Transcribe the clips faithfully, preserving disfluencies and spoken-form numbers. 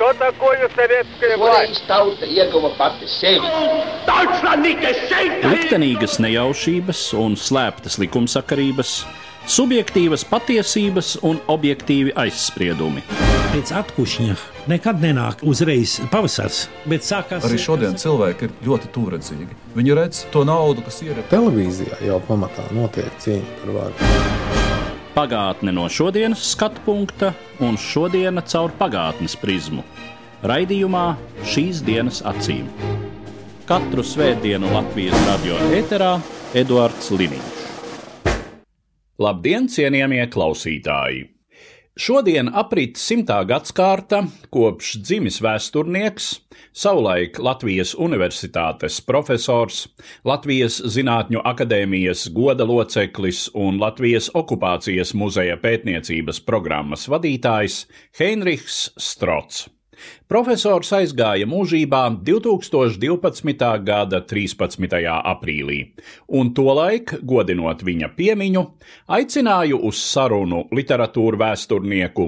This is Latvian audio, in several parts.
Что такое советская власть? Liktenīgas nejaušības un slēptas likumsakarības, subjektīvas patiesības un objektīvi aizspriedumi. Pēc atkušņa nekad nenāk uzreiz pavasars, bet sākās... Arī šodien cilvēki ir ļoti tūredzīgi. Viņi redz to naudu, kas ir... Televīzijā jau pamatā notiek cīņa par varu. Pagātne no šodienas skatu punkta un šodiena caur pagātnes prizmu. Raidījumā Šīs dienas acīm. Katru svētdienu Latvijas radio ēterā Eduards Liniņš. Labdien, cienījamie klausītāji! Šodien aprit simtā gadskārta, kopš dzimis vēsturnieks, savulaik Latvijas Universitātes profesors, Latvijas Zinātņu akadēmijas goda loceklis un Latvijas okupācijas muzeja pētniecības programmas vadītājs Heinrichs Strots. Profesors aizgāja mūžībā divtūkstoš divpadsmitā gada trīspadsmitajā aprīlī, un tolaik, godinot viņa piemiņu, aicināju uz sarunu literatūru vēsturnieku,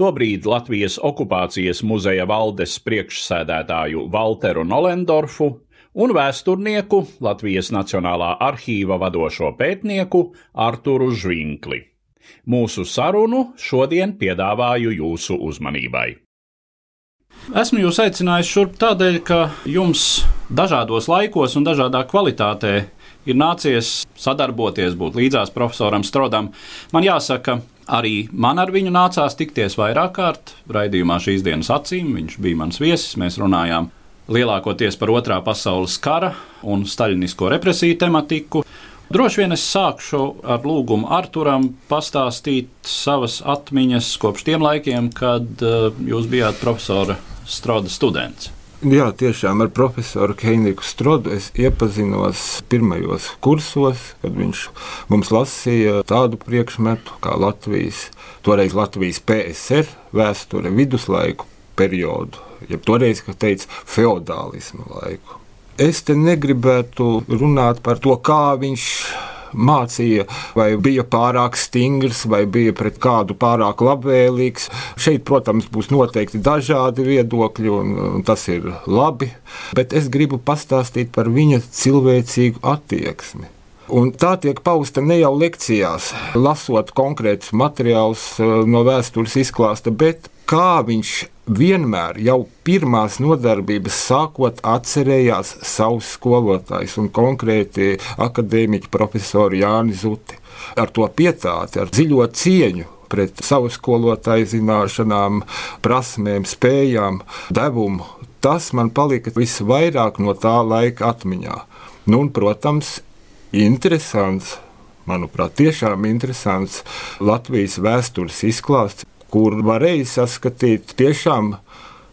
tobrīd Latvijas okupācijas muzeja valdes priekšsēdētāju Valteru Nolendorfu un vēsturnieku, Latvijas Nacionālā arhīva vadošo pētnieku Arturu Žvinkli. Mūsu sarunu šodien piedāvāju jūsu uzmanībai. Esmu jūs aicinājis šurp tādēļ, ka jums dažādos laikos un dažādā kvalitātē ir nācies sadarboties, būt līdzās profesoram Strodam. Man jāsaka, arī man ar viņu nācās tikties vairāk kārt raidījumā Šīs dienas acīm. Viņš bija mans viesis, mēs runājām lielākoties par otrā pasaules kara un staļinisko represiju tematiku. Droši vien es sākšu ar lūgumu Arturam pastāstīt savas atmiņas kopš tiem laikiem, kad uh, jūs bijāt profesora Stroda students. Jā, tiešām ar profesoru Heinrichu Strodu es iepazinos pirmajos kursos, kad viņš mums lasīja tādu priekšmetu kā Latvijas, toreiz Latvijas P S R vēsture viduslaiku periodu, jeb toreiz, kā teica, feodālismu laiku. Es te negribētu runāt par to, kā viņš mācīja, vai bija pārāk stingrs, vai bija pret kādu pārāk labvēlīgs. Šeit, protams, būs noteikti dažādi viedokļi, un tas ir labi, bet es gribu pastāstīt par viņa cilvēcīgu attieksmi. Un tā tiek pausta ne jau lekcijās, lasot konkrētus materiālus no vēstures izklāsta, bet kā viņš vienmēr jau pirmās nodarbības sākot atcerējās savus skolotājus un konkrēti akadēmiķu profesoru Jāni Zuti. Ar to pietāti, ar dziļo cieņu pret savu skolotāju zināšanām, prasmēm, spējām, devumu. Tas man palika visvairāk no tā laika atmiņā. Nu, un, protams, interesants, manuprāt, tiešām interesants Latvijas vēstures izklāsts, kur varēja saskatīt tiešām,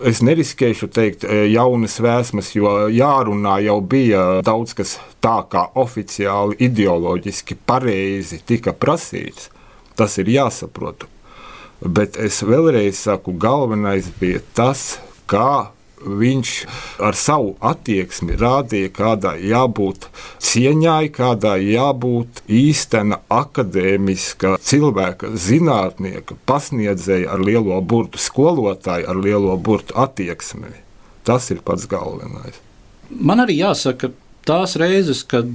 es neriskēšu teikt, jaunas vēsmas, jo jārunā jau bija daudz, kas tā kā oficiāli ideoloģiski pareizi tika prasīts. Tas ir jāsaprot. Bet es vēlreiz saku, galvenais bija tas, kā viņš ar savu attieksmi rādīja, kādā jābūt cieņai, kādā jābūt īstena akadēmiska cilvēka, zinātnieka, pasniedzēja ar lielo burtu, skolotāja ar lielo burtu attieksmi. Tas ir pats galvenais. Man arī jāsaka, tās reizes, kad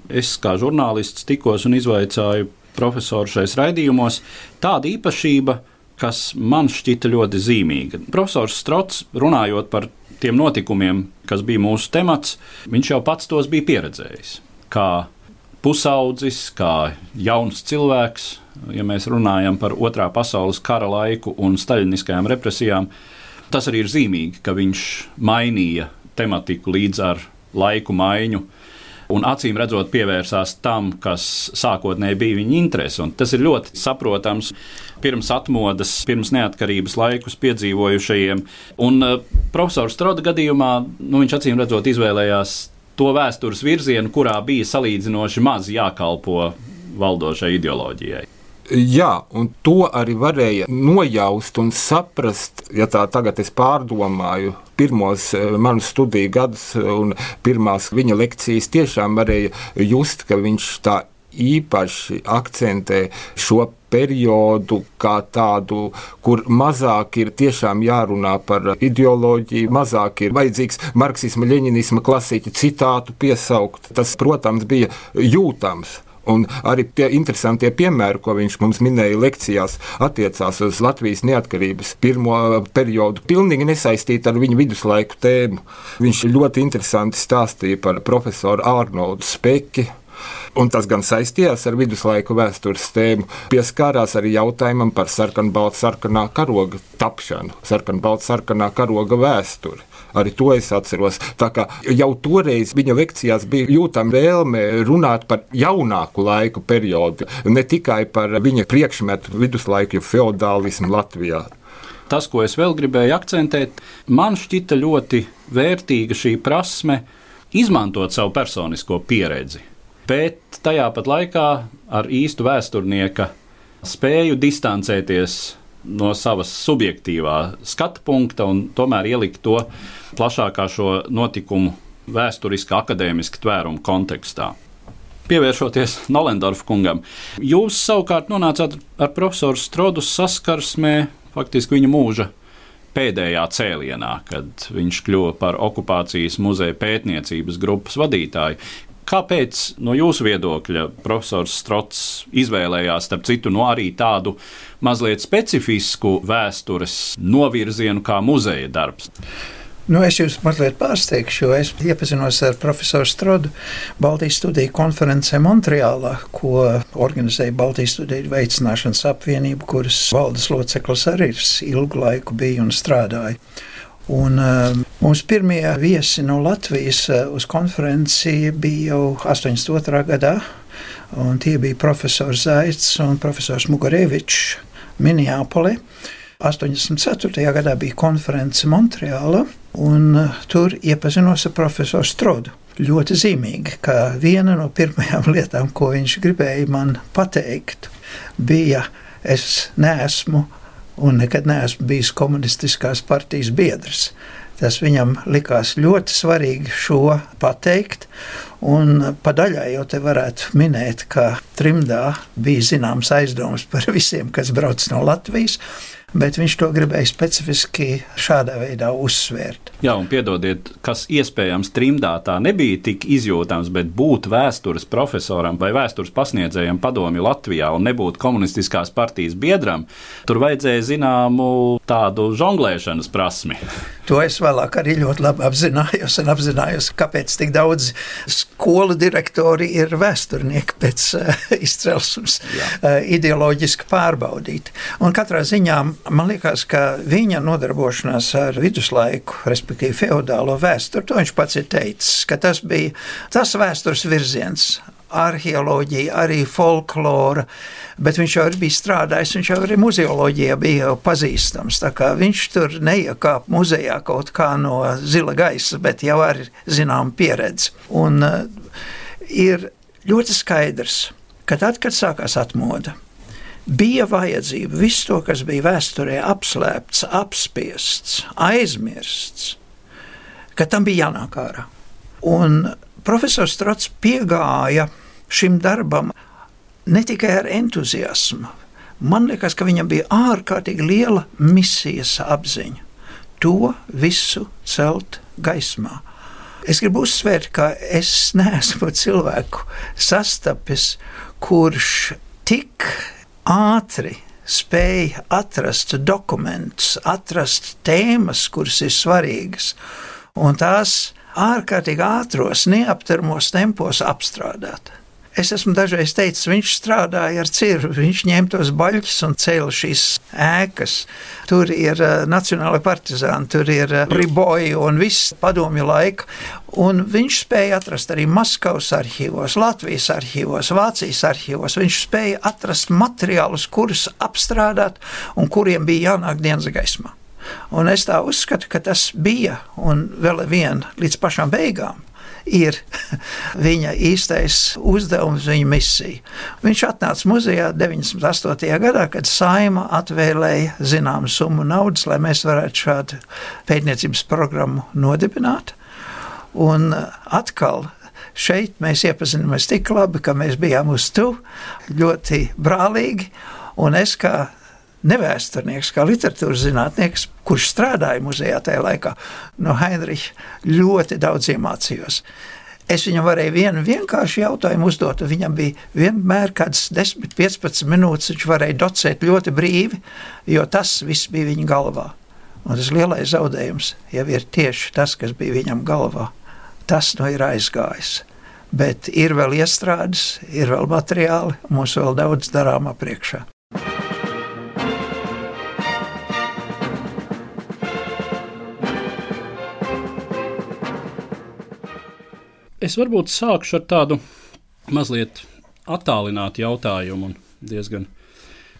es kā žurnālists tikos un izvaicāju profesoru šais raidījumos, tāda īpašība, kas man šķita ļoti zīmīga. Profesors Strots, runājot par tiem notikumiem, kas bija mūsu temats, viņš jau pats tos bija pieredzējis. Kā pusaudzis, kā jauns cilvēks, ja mēs runājam par otrā pasaules kara laiku un staļiniskajām represijām, tas arī ir zīmīgi, ka viņš mainīja tematiku līdz ar laiku maiņu, un acīm redzot pievērsās tam, kas sākotnēji bija viņa interese. Un tas ir ļoti saprotams pirms atmodas, pirms neatkarības laikus piedzīvojušajiem. Un uh, profesora Stroda gadījumā, nu, viņš acīm redzot izvēlējās to vēstures virzienu, kurā bija salīdzinoši maz jākalpo valdošai ideoloģijai. Jā, un to arī varēja nojaust un saprast, ja tā tagad es pārdomāju pirmos manu studiju gadus un pirmās viņa lekcijas, tiešām varēja just, ka viņš tā īpaši akcentē šo periodu kā tādu, kur mazāk ir tiešām jārunā par ideoloģiju, mazāk ir vajadzīgs marksisma, ļeņinisma klasiķu citātu piesaukt. Tas, protams, bija jūtams. Un arī tie interesantie piemēri, ko viņš mums minēja lekcijās, attiecās uz Latvijas neatkarības pirmo periodu, pilnīgi nesaistīti ar viņu viduslaiku tēmu. Viņš ļoti interesanti stāstīja par profesoru Ārnoldu Speki, un tas gan saistījās ar viduslaiku vēstures tēmu, pieskārās arī jautājumam par sarkanbaltsarkanā karoga tapšanu, sarkanbaltsarkanā karoga vēsturi. Arī to es atceros. Tā kā jau toreiz viņa lekcijās bija jūtama vēlme runāt par jaunāku laiku periodu, ne tikai par viņa priekšmetu viduslaiku feodālismu Latvijā. Tas, ko es vēl gribēju akcentēt, man šķita ļoti vērtīga šī prasme izmantot savu personisko pieredzi, bet tajā pat laikā ar īstu vēsturnieka spēju distancēties no savas subjektīvā skatu punkta un tomēr ielikt to plašākā šo notikumu vēsturiskā akadēmiska tvēruma kontekstā. Pievēršoties Nollendorfa kungam, jūs savukārt nonācāt ar profesoru Strodu saskarsmē faktiski viņa mūža pēdējā cēlienā, kad viņš kļuva par okupācijas muzeja pētniecības grupas vadītāju. Kāpēc no jūsu viedokļa profesors Strods izvēlējās, starp citu, no arī tādu mazliet specifisku vēstures novirzienu kā muzeja darbs? Nu, es jūs mazliet pārsteigšu, jo es iepazinos ar profesoru Strodu Baltijas studiju konferencē Montreālā, ko organizēja Baltijas studiju veicināšanas apvienība, kuras valdes loceklis arī ilgu laiku bija un strādāja. Un, uh, mums pirmie viesi no Latvijas uh, uz konferenci bija jau astoņdesmit otrā gadā, un tie bija profesors Zaits un profesors Mugarevičs Minneapolē. astoņdesmit ceturtajā gadā bija konference Montreālā, un uh, tur iepazinos ar profesoru Strodu. Ļoti zīmīgi, ka viena no pirmajām lietām, ko viņš gribēja man pateikt, bija, es neesmu un nekad neesmu bijis komunistiskās partijas biedrs. Tas viņam likās ļoti svarīgi šo pateikt, un pa daļai jau te varētu minēt, ka trimdā bija zināms aizdoms par visiem, kas brauc no Latvijas, bet viņš to gribēja specifiski šādā veidā uzsvērt. Jā, un piedodiet, kas iespējams trimdā tā nebija tik izjūtams, bet būt vēstures profesoram vai vēstures pasniedzējam padomju Latvijā un nebūt komunistiskās partijas biedram, tur vajadzēja zināmu tādu žonglēšanas prasmi. To es vēlāk arī ļoti labi apzinājos un apzinājos, kāpēc tik daudz skolu direktori ir vēsturnieki pēc uh, izcelsmes uh, ideoloģiski pārbaudīti. Un katrā ziņā man liekas, ka viņa nodarbošanās ar viduslaiku, respektīvi feodālo vēsturi, to viņš pats ir teicis, ka tas bija tas vēstures virziens, arheoloģija, arī folklora, bet viņš jau bija strādājis, viņš jau arī muzeoloģijā bija jau pazīstams, tā kā viņš tur neiekāp muzejā kaut kā no zila gaisa, bet jau ar zinām pieredzi. Un uh, ir ļoti skaidrs, ka tad, kad sākās atmoda, bija vajadzība visu to, kas bija vēsturē apslēpts, apspiests, aizmirsts, ka tam bija jānāk ārā. Un profesors Strods piegāja šim darbam ne tikai ar entuziasmu. Man liekas, ka viņam bija ārkārtīgi liela misijas apziņa. To visu celt gaismā. Es gribu uzsvērt, ka es neesmu cilvēku sastapis, kurš tik ātri spēja atrast dokumentus, atrast tēmas, kuras ir svarīgas, un tās ārkārtīgi ātros, neapturamos tempos apstrādāt. Es esmu dažreiz teicis, viņš strādāja ar cirvi, viņš ņēma tos baļķus un cēla šīs ēkas. Tur ir uh, nacionāli partizāni, tur ir uh, riboji un viss padomju laika. Un viņš spēja atrast arī Maskavas arhīvos, Latvijas arhīvos, Vācijas arhīvos. Viņš spēja atrast materiālus, kurus apstrādāt un kuriem bija jānāk dienas gaismā. Un es tā uzskatu, ka tas bija, un vēl vien līdz pašām beigām, ir viņa īstais uzdevums, viņa misija. Viņš atnāca muzejā deviņdesmit astotajā gadā, kad Saeima atvēlēja zināmu summu naudas, lai mēs varētu šādu pētniecības programmu nodibināt. Un atkal šeit mēs iepazināmies tik labi, ka mēs bijām uz tu, ļoti brālīgi, un es kā nevēsturnieks, kā literatūras zinātnieks, kurš strādāja muzejā tajā laikā, no Heinricha ļoti daudz iemācījos. Es viņam varēju vienu vienkāršu jautājumu uzdot, un viņam bija vienmēr kāds desmit, piecpadsmit minūtes, viņš varēja docēt ļoti brīvi, jo tas viss bija viņa galvā. Un tas lielais zaudējums jau ir tieši tas, kas bija viņam galvā. Tas nu ir aizgājis. Bet ir vēl iestrādes, ir vēl materiāli, mums vēl daudz darāmā priekšā. Es varbūt sākšu ar tādu mazliet attālinātu jautājumu un diezgan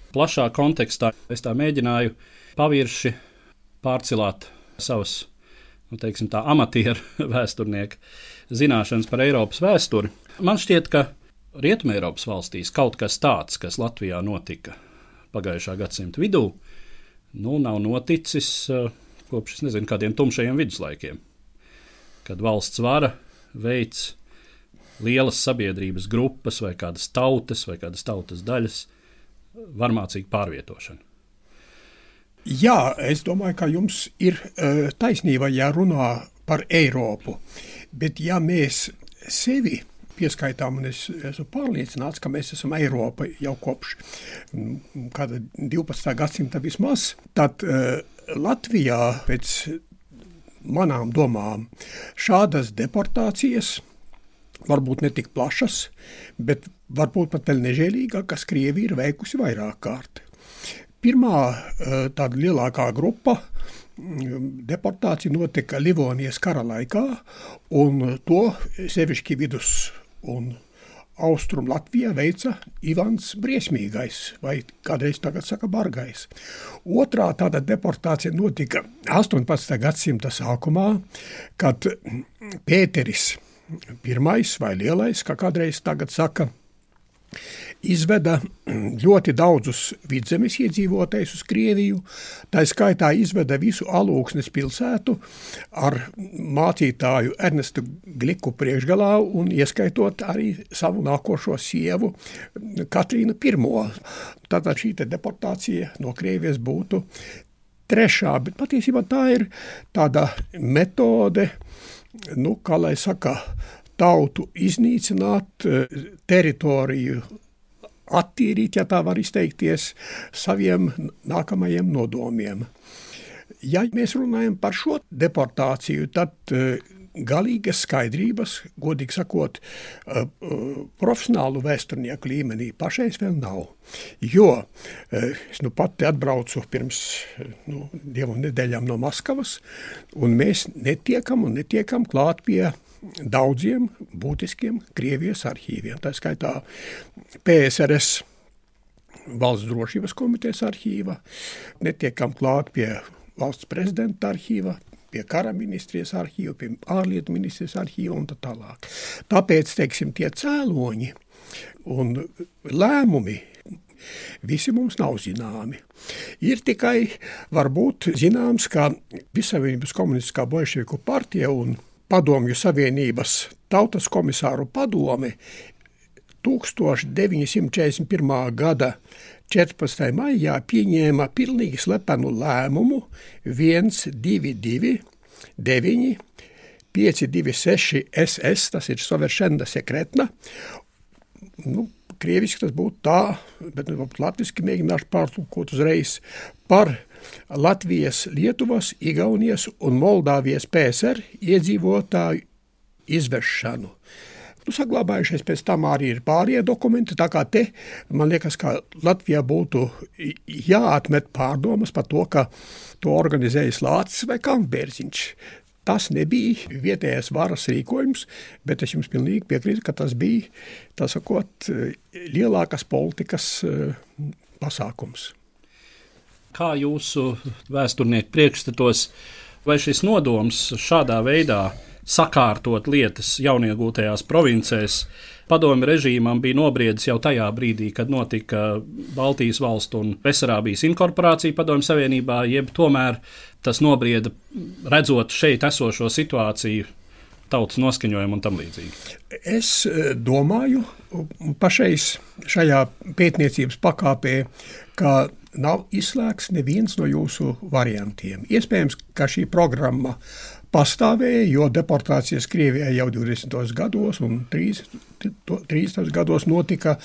plašā kontekstā. Es tā mēģināju pavirši pārcilāt savas, nu, teiksim tā, amatieru vēsturnieka zināšanas par Eiropas vēsturi. Man šķiet, ka Rietumeiropas valstīs kaut kas tāds, kas Latvijā notika pagājušā gadsimta vidū, nu, nav noticis kopš, es nezinu, kādiem tumšajiem viduslaikiem, kad valsts vara veids lielas sabiedrības grupas vai kādas tautas vai kādas tautas daļas varmācīgu pārvietošanu. Jā, es domāju, ka jums ir uh, taisnība, ja runā par Eiropu, bet ja mēs sevi pieskaitām, un es esmu pārliecināts, ka mēs esam Eiropa jau kopš kāda divpadsmitā gadsimta vismaz, tad uh, Latvijā pēc manām domām šādas deportācijas, varbūt ne tik plašas, bet varbūt pat vēl nežēlīgākas, Krievija ir veikusi vairāk kārt. Pirmā tāda lielākā grupa deportācija notika Livonijas kara laikā, un to sevišķi vidus un Austrum Latvijā veica Ivans Briesmīgais, vai kādreiz tagad saka Bargais. Otrā tāda deportācija notika astoņpadsmitā gadsimta sākumā, kad Pēteris pirmais vai lielais, kā kādreiz tagad saka, izveda ļoti daudzus vidzemes iedzīvotājus uz Krieviju, tā skaitā izveda visu Alūksnes pilsētu ar mācītāju Ernestu Gliku priekšgalā un ieskaitot arī savu nākošo sievu Katrīnu Pirmo. Tātad šī deportācija no Krievijas būtu trešā, bet patiesībā tā ir tāda metode, nu, kā lai saka, tautu iznīcināt, teritoriju attīrīt, ja tā var izteikties, saviem nākamajiem nodomiem. Ja mēs runājam par šo deportāciju, tad galīgas skaidrības, godīgi sakot, profesionālu vēsturnieku līmenī pašais vēl nav. Jo es nu pati atbraucu pirms nu, divu nedēļām no Maskavas, un mēs netiekam un netiekam klāt pie daudziem būtiskiem Krievijas arhīviem. Tā skaitā P S R S Valsts drošības komitejas arhīva, netiekam klāt pie valsts prezidenta arhīva, pie kara ministrijas arhīva, pie ārlietu ministrijas arhīva un tā tālāk. Tāpēc, teiksim, tie cēloņi un lēmumi visi mums nav zināmi. Ir tikai varbūt zināms, ka Vissavienības komunistiskā bolševiku partija un Padomju Savienības tautas komisāru padome tūkstoš deviņi simti četrdesmit pirmā gada četrpadsmitajā maijā pieņēma pilnīgi slepenu lēmumu viens divi divi deviņi pieci divi seši S S, tas ir soveršenda sekretna. Nu, krieviski tas būtu tā, bet latviski mēģināšu pārtulkot uzreiz par Latvijas, Lietuvas, Igaunijas un Moldāvijas P S R iedzīvotāju izvešanu. Nu, saglabājušies pēc tam arī ir pārējie dokumenti, tā kā te, man liekas, ka Latvijā būtu jāatmet pārdomas par to, ka to organizējas Lācis vai Kantbērziņš. Tas nebija vietējais varas rīkojums, bet es jums pilnīgi piekrītu, ka tas bija, tā sakot, lielākas politikas pasākums. Kā jūsu vēsturnieku priekšstatos, vai šis nodoms šādā veidā sakārtot lietas jauniegūtajās provincēs padomju režīmam bija nobriedis jau tajā brīdī, kad notika Baltijas valstu un Besarābijas inkorporācija padomju savienībā, jeb tomēr tas nobrieda redzot šeit esošo situāciju tautas noskaņojumu un tam līdzīgi? Es domāju pašais šajā pētniecības pakāpē, ka nav izslēgts neviens no jūsu variantiem. Iespējams, ka šī programma pastāvēja, jo deportācijas Krievijā jau divdesmitos gados un trīsdesmitos gados notika.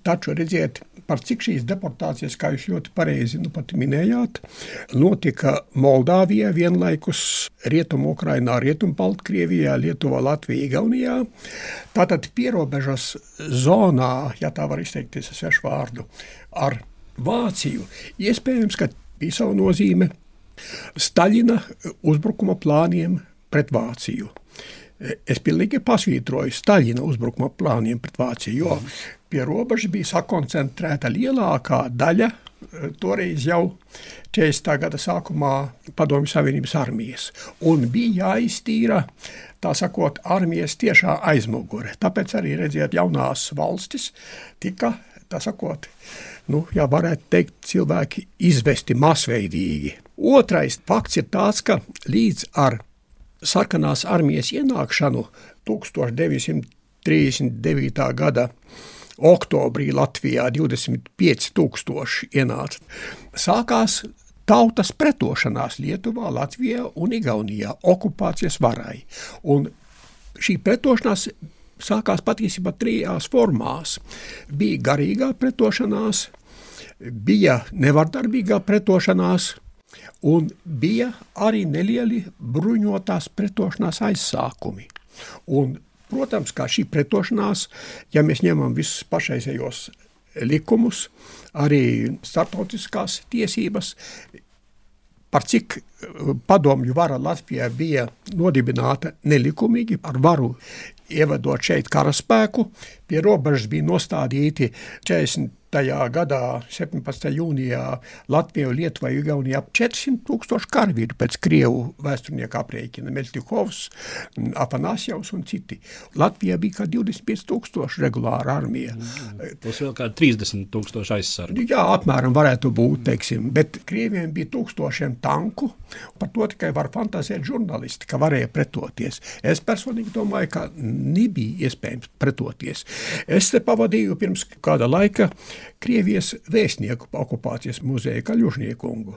Taču redziet, par cik šīs deportācijas, kā jūs ļoti pareizi nu pat minējāt, notika Moldāvijā vienlaikus Rietumu Ukrainā, Rietumu Baltkrievijā, Lietuvā, Latvijā, Igaunijā. Tātad pierobežas zonā, ja tā var izteikties ar svešu vārdu, ar Vāciju, iespējams, ka bija savu nozīme Staļina uzbrukuma plāniem pret Vāciju. Es pilnīgi pasvītroju Staļina uzbrukuma plāniem pret Vāciju, jo pie robežas bija sakoncentrēta lielākā daļa toreiz jau četrdesmitā gada sākumā Padomju Savienības armijas. Un bija jāiztīra, tā sakot, armijas tiešā aizmugure. Tāpēc arī, redziet, jaunās valstis tika, tā sakot, nu, jā, varētu teikt, cilvēki izvesti masveidīgi. Otrais fakts ir tāds, ka līdz ar sarkanās armijas ienākšanu tūkstoš deviņsimt trīsdesmit devītā gada oktobrī Latvijā divdesmit pieci tūkstoši ienāca. Sākās tautas pretošanās Lietuvā, Latvijā un Igaunijā okupācijas varai. Un šī pretošanās sākās patiesībā trijās formās. Bija garīgā pretošanās, bija nevardarbīgā pretošanās, un bija arī nelieli bruņotās pretošanās aizsākumi. Un, protams, kā šī pretošanās, ja mēs ņemam visus pašreizējos likumus, arī starptautiskās tiesības, par cik padomju vara Latvijā bija nodibināta nelikumīgi ar varu ievedot šeit karaspēku, pie robežas bija nostādīti četrdesmitajā gadā, septiņpadsmitajā jūnijā Latvijā, Lietuvā, Igaunijā četrsimt tūkstoši karavīru pēc krievu vēsturnieku aprēķina, Meļtikovs, Afanasjevs un citi. Latvijā bija kā divdesmit pieci tūkstoši regulāra armija. Tas vēl kā trīsdesmit tūkstoši aizsargu. Jā, apmēram varētu būt, teiksim, bet krieviem bija tūkstošiem tanku, par to tikai var fantazēt žurnālisti, ka varēja pretoties. Es personīgi domāju, ka nebija iespējams pretoties. Es te pavadīju pirms kāda laika Krievijas vēstnieku okupācijas muzeja Kaļužniekungu.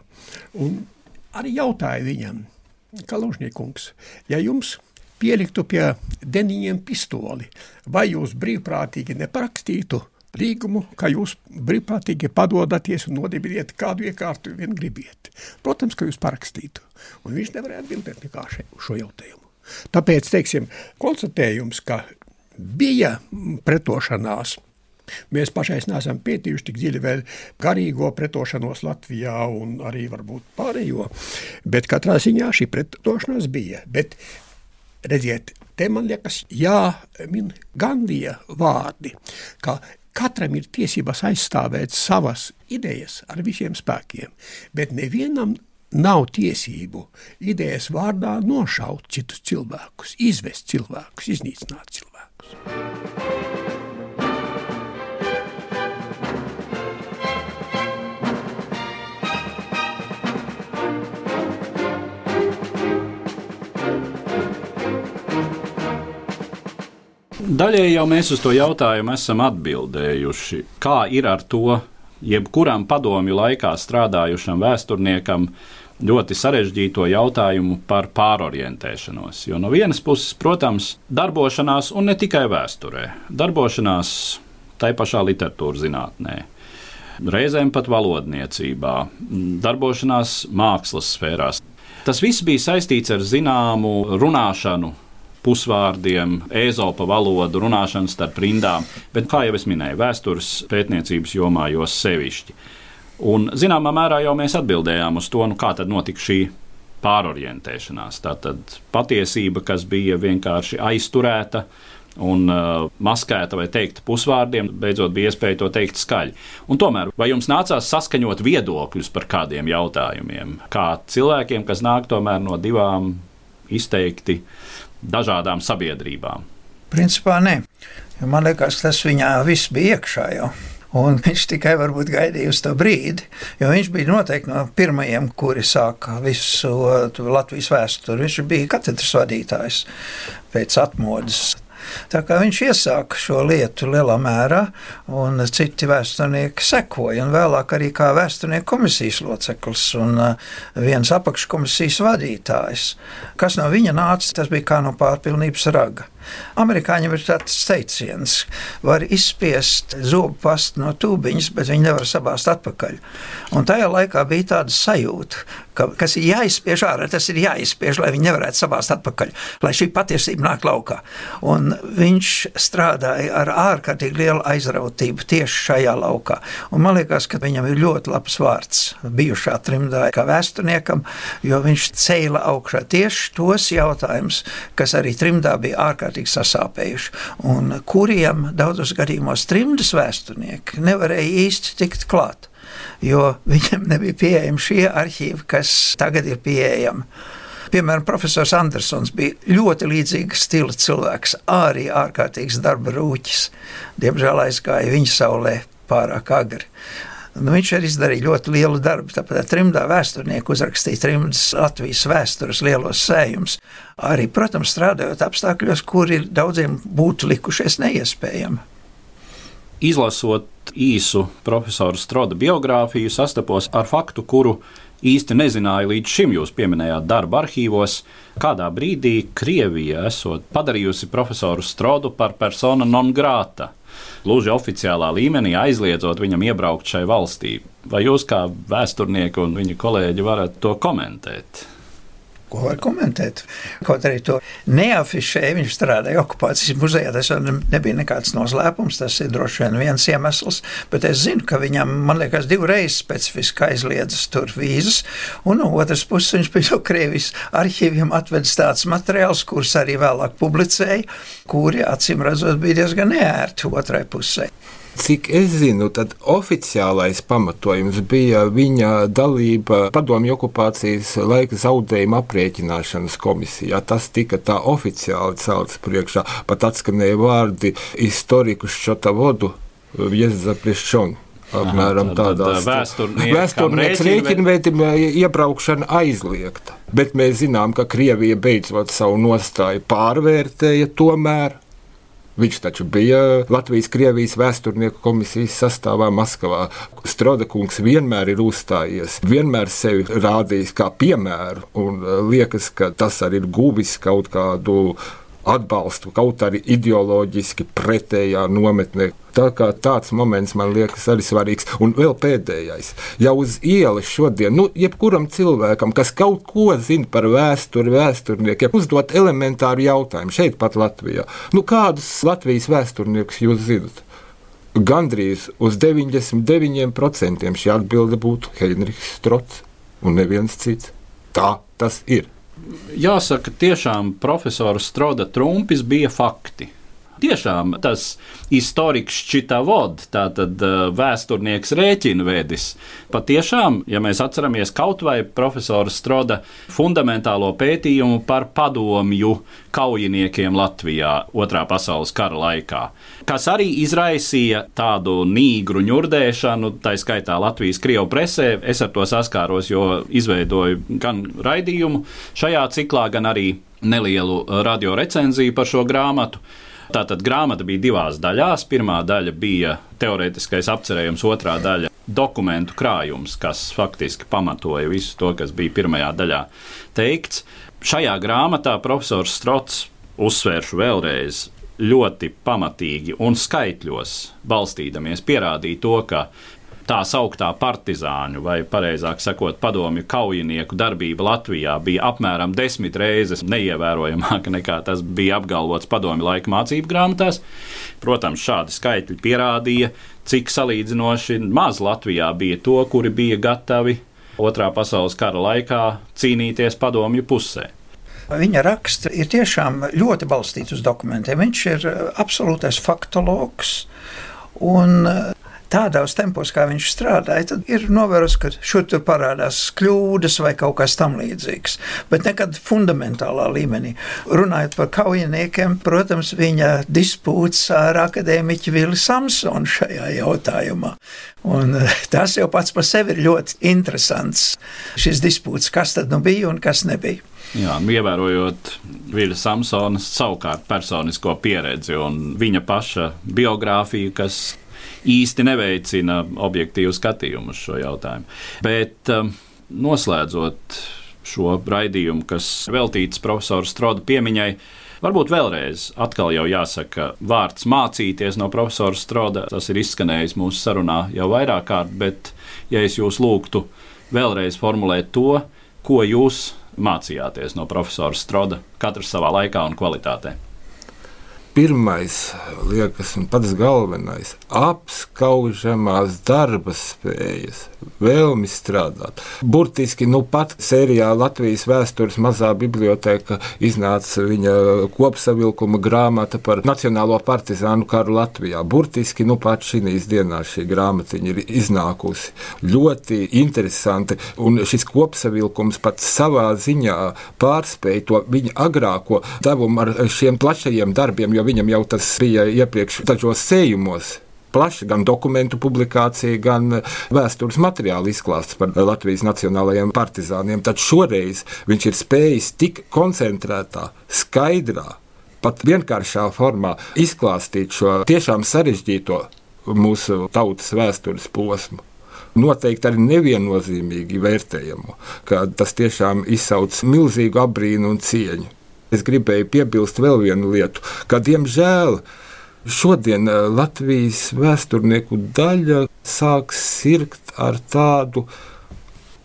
Un arī jautāja viņam, Kaļužniekungs, ja jums pieliktu pie deniņiem pistoli, vai jūs brīvprātīgi neparakstītu līgumu, ka jūs brīvprātīgi padodaties un nodibiniet kādu iekārtu vien gribiet? Protams, ka jūs parakstītu. Un viņš nevarēja atbildēt nekā šo jautājumu. Tāpēc, teiksim, konstatējums, ka bija pretošanās, mēs pašais neesam pētījuši tik dziļi vēl garīgo pretošanos Latvijā un arī varbūt pārējo, bet katrā ziņā šī pretošanās bija. Bet, redziet, te man liekas jāmin Gandija vārdi, ka katram ir tiesības aizstāvēt savas idejas ar visiem spēkiem, bet nevienam nav tiesību idejas vārdā nošaut citus cilvēkus, izvest cilvēkus, iznīcināt cilvēkus. Daļēji jau mēs uz to jautājumu esam atbildējuši. Kā ir ar to, jebkuram padomju laikā strādājušam vēsturniekam, ļoti sarežģīto jautājumu par pārorientēšanos? Jo no vienas puses, protams, darbošanās, un ne tikai vēsturē, darbošanās tai pašā literatūras zinātnē, reizēm pat valodniecībā, darbošanās mākslas sfērās. Tas viss bija saistīts ar zināmu runāšanu, pusvārdiem, Ēzopa valodu, runāšanu starp rindām, bet, kā jau es minēju, vēstures pētniecības jomā jo sevišķi. Un, zināmā mērā jau mēs atbildējām uz to, nu, kā tad notika šī pārorientēšanās. Tātad patiesība, kas bija vienkārši aizturēta un uh, maskēta vai teikta pusvārdiem, beidzot bija iespēja to teikt skaļi. Un tomēr, vai jums nācās saskaņot viedokļus par kādiem jautājumiem? Kā cilvēkiem, kas nāk tomēr no divām izteikti dažādām sabiedrībām? Principā nē. Man liekas, tas viņā viss bija iekšā jau. Un viņš tikai varbūt gaidīja uz to brīdi, jo viņš bija noteikti no pirmajiem, kuri sāka visu Latvijas vēsturi. Viņš bija katedras vadītājs pēc atmodas. Tā kā viņš iesāka šo lietu lielā mērā, un citi vēsturnieki sekoja, un vēlāk arī kā vēsturnieku komisijas loceklis un viens apakškomisijas vadītājs. Kas no viņa nāca, tas bija kā no pārpilnības raga. Amerikāņiem ir tāds teiciens, var izspiest zobu pastu no tūbiņas, bet viņi nevar sabāzt atpakaļ. Un tajā laikā bija tāda sajūta, ka kas ir jāizspiež ārā, tas ir jāizspiež, lai viņi nevarētu sabāzt atpakaļ, lai šī patiesība nāk laukā. Un viņš strādāja ar ārkārtīgi lielu aizrautību tieši šajā laukā. Un man liekas, ka viņam ir ļoti labs vārds bijušā trimdā kā vēsturniekam, jo viņš ceļa augšā tieši tos jautājumus, kas arī trimdā bija ārkārtīgi sasāpējuši, un kuriem daudzos gadījumos trimdas vēsturnieki nevarēja īsti tikt klāt, jo viņiem nebija pieejami šie arhīvi, kas tagad ir pieejami. Piemēram, profesors Andersons bija ļoti līdzīga stila cilvēks, arī ārkārtīgs darba rūķis. Diemžēl aizgāja viņa saulē pārāk agri. Nu, viņš arī izdarīja ļoti lielu darbu, tāpēc trimdā vēsturnieku uzrakstīja trimdas Latvijas vēstures lielos sējumus. Arī, protams, strādājot apstākļos, kuri daudziem būtu likušies neiespējami. Izlasot īsu profesora Stroda biogrāfiju, sastapos ar faktu, kuru īsti nezināju līdz šim. Jūs pieminējāt darba arhīvos. Kādā brīdī Krievija esot padarījusi profesoru Strodu par persona non grata, gluži oficiālā līmenī aizliedzot viņam iebraukt šai valstī. Vai jūs kā vēsturnieki un viņa kolēģi varat to komentēt? Ko var komentēt? Kaut arī to neafišēja, viņš strādāja okupācijas muzejā, tas nebija nekāds noslēpums, tas ir droši vien viens iemesls, bet es zinu, ka viņam, man liekas, divreiz specifiski aizliedzas tur vīzas, un no otras puses viņš pie no Krievijas arhīviem atvedis tāds materiāls, kurus arī vēlāk publicēja, kuri, acīm redzot, bija diezgan neērti otrai pusē. Cik es zinu, tad oficiālais pamatojums bija viņa dalība padomju okupācijas laika zaudējuma aprēķināšanas komisijā. Tas tika tā oficiāli celts priekšā. Pat atskanēja vārdi historiku Ščotavodu Vjezzapriščonu. Apmēram tādā vēsturnieks rēķinvētim iebraukšana aizliegta. Bet mēs zinām, ka Krievija beidzot savu nostāju pārvērtēja tomēr. Viņš taču bija Latvijas-Krievijas vēsturnieku komisijas sastāvā Maskavā. Stroda kungs vienmēr ir uzstājies, vienmēr sevi rādījis kā piemēru, un liekas, ka tas arī ir guvis kaut kādu atbalstu, kaut arī ideoloģiski pretējā nometnē. Tā kā tāds moments man liekas arī svarīgs. Un vēl pēdējais. Jau uz ielas šodien, nu, jebkuram cilvēkam, kas kaut ko zina par vēsturi, vēsturniekiem, uzdot elementāru jautājumu šeit pat Latvijā. Nu, kādus Latvijas vēsturniekus jūs zinat? Gandrīz uz deviņdesmit deviņiem procentiem šī atbilde būtu Heinrichs Strods un neviens cits. Tā tas ir. Jāsaka, tiešām profesora Stroda trumpis bija fakti. Tiešām tas historiks Ščitavod, tātad vēsturnieks rēķinvedis, patiešām, ja mēs atceramies kaut vai profesora Stroda fundamentālo pētījumu par padomju kaujiniekiem Latvijā otrā pasaules kara laikā, kas arī izraisīja tādu nīgru ņurdēšanu, tā skaitā Latvijas Krievu presē. Es ar to saskāros, jo izveidoju gan raidījumu šajā ciklā, gan arī nelielu radio recenziju par šo grāmatu. Tātad grāmata bija divās daļās. Pirmā daļa bija teorētiskais apcerējums, otrā daļa dokumentu krājums, kas faktiski pamatoja visu to, kas bija pirmajā daļā teikts. Šajā grāmatā profesors Strods, uzsvēršu vēlreiz, ļoti pamatīgi un skaitļos balstīdamies pierādīja to, ka tā sauktā partizāņu, vai pareizāk sakot, padomju kaujinieku darbība Latvijā bija apmēram desmit reizes neievērojamāka nekā tas bija apgalvots padomju laika mācību grāmatās. Protams, šādi skaitļi pierādīja, cik salīdzinoši maz Latvijā bija to, kuri bija gatavi otrā pasaules kara laikā cīnīties padomju pusē. Viņa raksts ir tiešām ļoti balstīts uz dokumentiem. Viņš ir absolūtais faktologs un Tādos tempos, kā viņš strādāja, tad ir novērojams, ka šur tur parādās kļūdas vai kaut kas tam līdzīgs, bet nekad fundamentālā līmenī. Runājot par kaujiniekiem, protams, viņa dispūts ar akadēmiķu Vili Samsonu šajā jautājumā. Un tas jau pats par sevi ir ļoti interesants, šis dispūts, kas tad nu bija un kas nebija. Jā, ievērojot Viļa Samsonas savukārt personisko pieredzi un viņa paša biogrāfiju, kas īsti neveicina objektīvu skatījumu uz šo jautājumu. Bet um, noslēdzot šo raidījumu, kas veltīts profesora Stroda piemiņai, varbūt vēlreiz atkal jau jāsaka vārds mācīties no profesora Stroda. Tas ir izskanējis mūsu sarunā jau vairāk kārt, bet ja es jūs lūgtu vēlreiz formulēt to, ko jūs mācījāties no profesora Stroda, katrs savā laikā un kvalitātē. Pirmais, liekas, un pats galvenais - apskaužamās darba spējas, vēlmi strādāt. Burtiski, nu pat sērijā Latvijas vēstures mazā biblioteka iznāca viņa kopsavilkuma grāmata par Nacionālo partizānu karu Latvijā. Burtiski, nu pat šīs dienās šī grāmatiņa ir iznākusi. Ļoti interesanti, un šis kopsavilkums pat savā ziņā pārspēja to viņa agrāko devumu ar šiem plašajiem darbiem, jo viņam jau tas bija iepriekš dažos sējumos. Plaši gan dokumentu publikācija, gan vēstures materiāla izklāsts par Latvijas nacionālajiem partizāniem. Tad šoreiz viņš ir spējis tik koncentrētā, skaidrā, pat vienkāršā formā izklāstīt šo tiešām sarežģīto mūsu tautas vēstures posmu. Noteikti arī neviennozīmīgi vērtējumu, ka tas tiešām izsauc milzīgu apbrīnu un cieņu. Es gribēju piebilst vēl vienu lietu, ka, diemžēl, šodien Latvijas vēsturnieku daļa sāk sirgt ar tādu,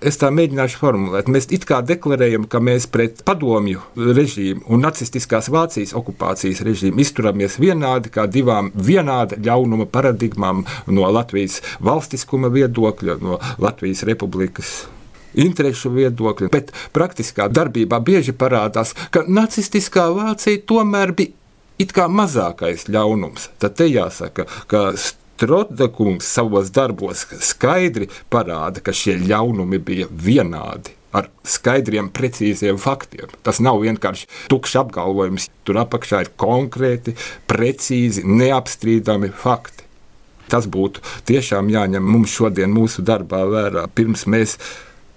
es tā mēģināšu formulēt, mēs it kā deklarējam, ka mēs pret padomju režīmu un nacistiskās Vācijas okupācijas režīmu izturamies vienādi kā divām vienāda ļaunuma paradigmām no Latvijas valstiskuma viedokļa, no Latvijas republikas interešu viedokļa, bet praktiskā darbībā bieži parādās, ka nacistiskā Vācija tomēr bija it kā mazākais ļaunums. Tad te jāsaka, ka Stroda kungs savos darbos skaidri parāda, ka šie ļaunumi bija vienādi, ar skaidriem, precīziem faktiem. Tas nav vienkārši tukšs apgalvojums, tur apakšā ir konkrēti, precīzi, neapstrīdami fakti. Tas būtu tiešām jāņem mums šodien mūsu darbā vērā, pirms mēs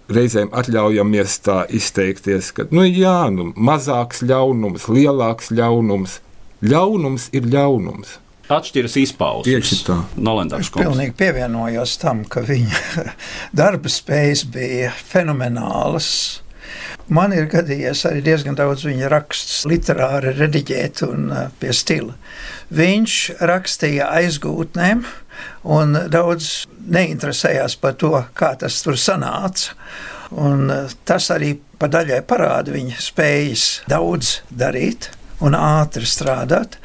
reizēm atļaujamies tā izteikties, ka nu jā, nu, mazāks ļaunums, lielāks ļaunums. Ļaunums ir ļaunums. Atšķiras izpausmes. Tieši tā. Nolendārs kungs. Es pilnīgi pievienojos tam, ka viņa darba spējas bija fenomenālas. Man ir gadījies arī diezgan daudz viņa rakstus literāri rediģēt un pie stila. Viņš rakstīja aizgūtnēm un daudz neinteresējās par to, kā tas tur sanāca. Un tas arī pa daļai parāda viņa spējas daudz darīt un ātri strādāt,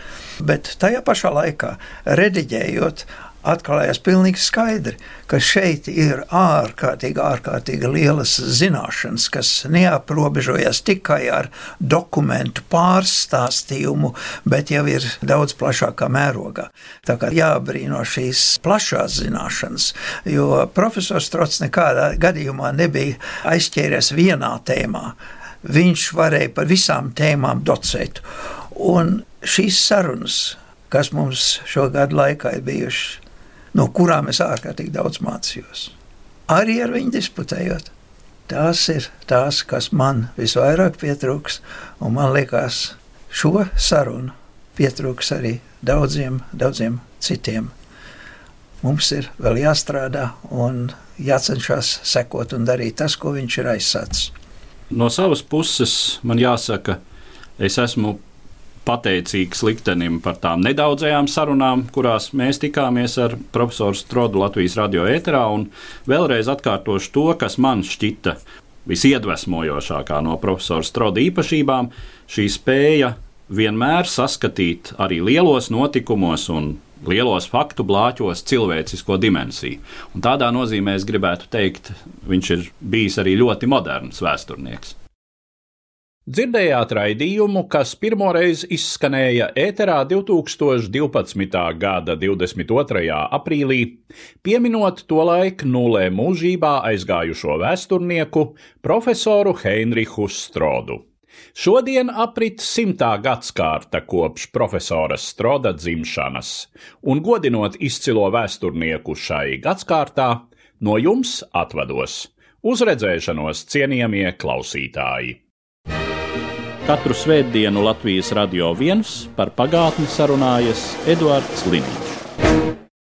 bet tajā pašā laikā rediģējot, atklājās pilnīgi skaidri, ka šeit ir ārkārtīgi, ārkārtīgi lielas zināšanas, kas neaprobežojas tikai ar dokumentu pārstāstījumu, bet jau ir daudz plašākā mērogā. Tā kā jābrīno šīs plašās zināšanas, jo profesors Strods nekādā gadījumā nebija aizķēries vienā tēmā. Viņš varēja par visām tēmām docēt. Un šīs sarunas, kas mums šo gadu laikā ir bijušas, no kurām es ārkārtīgi daudz mācījos, arī ar viņu disputējot, tās ir tās, kas man visvairāk pietrūks, un man liekas, šo sarunu pietrūks arī daudziem, daudziem citiem. Mums ir vēl jāstrādā un jācenšas sekot un darīt tas, ko viņš ir aizsācis. No savas puses man jāsaka, es esmu pateicīgs liktenim par tām nedaudzajām sarunām, kurās mēs tikāmies ar profesoru Strodu Latvijas radio ēterā, un vēlreiz atkārtošu to, kas man šķita visiedvesmojošākā no profesora Stroda īpašībām, šī spēja vienmēr saskatīt arī lielos notikumos un lielos faktu blāķos cilvēcisko dimensiju. Un tādā nozīmē es gribētu teikt, viņš ir bijis arī ļoti moderns vēsturnieks. Dzirdējāt raidījumu, kas pirmoreiz izskanēja ēterā divtūkstoš divpadsmitā gada divdesmit otrajā aprīlī, pieminot tolaik nulē mūžībā aizgājušo vēsturnieku profesoru Heinrichu Strodu. Šodien aprit simtā gadskārta kopš profesora Stroda dzimšanas, un godinot izcilo vēsturnieku šai gadskārtā, no jums atvados. Uz redzēšanos, cienījamie klausītāji! Katru svētdienu Latvijas Radio viens par pagātni sarunājas Eduards Liniņš.